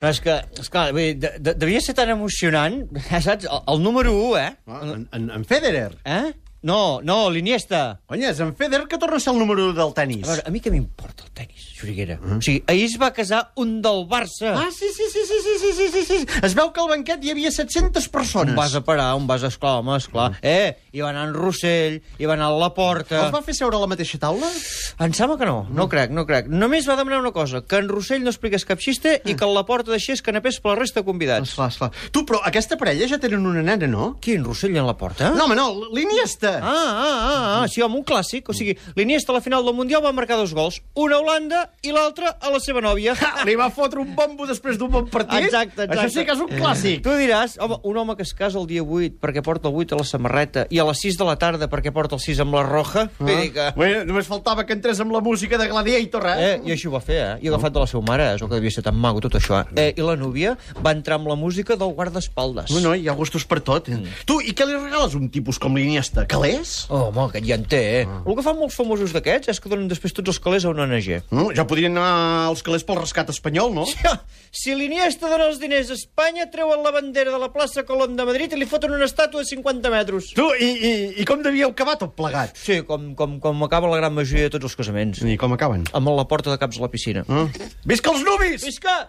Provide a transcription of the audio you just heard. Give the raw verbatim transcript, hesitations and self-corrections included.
No, és que, esclar, vull dir, de, de, devia ser tan emocionant, eh, saps? El, el número u, eh? Ah, en, en, en Federer. Eh? No, no, l'Iniesta. Cony, és en Federer que torna a ser el número u del tenis. A veure, a mi què m'importa el tenis, Xuriguera? Mm. O sigui, ahir es va casar un del Barça. Ah, sí, sí, sí, sí, sí, sí, sí, sí, sí. Es veu que al banquet hi havia set-centes persones. On vas a parar, on vas a esclar, home, esclar. Mm. Eh, hi va anar en Rossell, hi va anar a Laporta... Els va fer seure a la mateixa taula? Em sembla que no, no crec, no crec. Només va demanar una cosa, que en Rossell no expliqués cap xiste i que a Laporta deixés canapés per la resta de convidats. Esclar, esclar. Tu, però aquesta parella ja tenen una nena, no? Qui, en Rossell i en Laporta? No, home, no, l'Iniesta. Ah, ah, ah, ah, sí, home, un clàssic. O sigui, l'Iniesta a la final del Mundial va marcar dos gols. Un a Holanda i l'altre a la seva nòvia. Ha, li va fotre un bombo després d'un bon partit? Exacte, exacte. Això sí que és un clàssic. Tu diràs, home, un home que es casa el dia vuit perquè porta el vuit a la samarreta i a les sis de la tarda perquè porta el sis amb la roja, ah. Vull dir que... Bueno, només faltava que entrés amb la música de Gladiator, eh? Eh, i així ho va fer, eh? I agafat de la seva mare, és el que devia ser tan maco, tot això, eh? eh I la núvia va entrar amb la música del guardaespaldes. No, no, hi ha gustos per tot. Mm. Tu, i què li regales a un tipus com l'Iniesta? Calés? Oh, home, aquest ja en té, eh? Ah. El que fan molts famosos d'aquests és que donen després tots els calés a una O N G. No, ja podrien anar als calés pel rescat espanyol, no? Sí, si l'Iniesta dona els diners a Espanya, treuen la bandera de la plaça Colón de Madrid i li foten una estàtua de cinquanta metres. Tu, i, i, i com devíeu acabar tot plegat? Sí, com, com, com acaba la gran majoria de tots els casaments. I com acaben? Amb la porta de caps a la piscina. Ah. Visca els nuvis! Visca!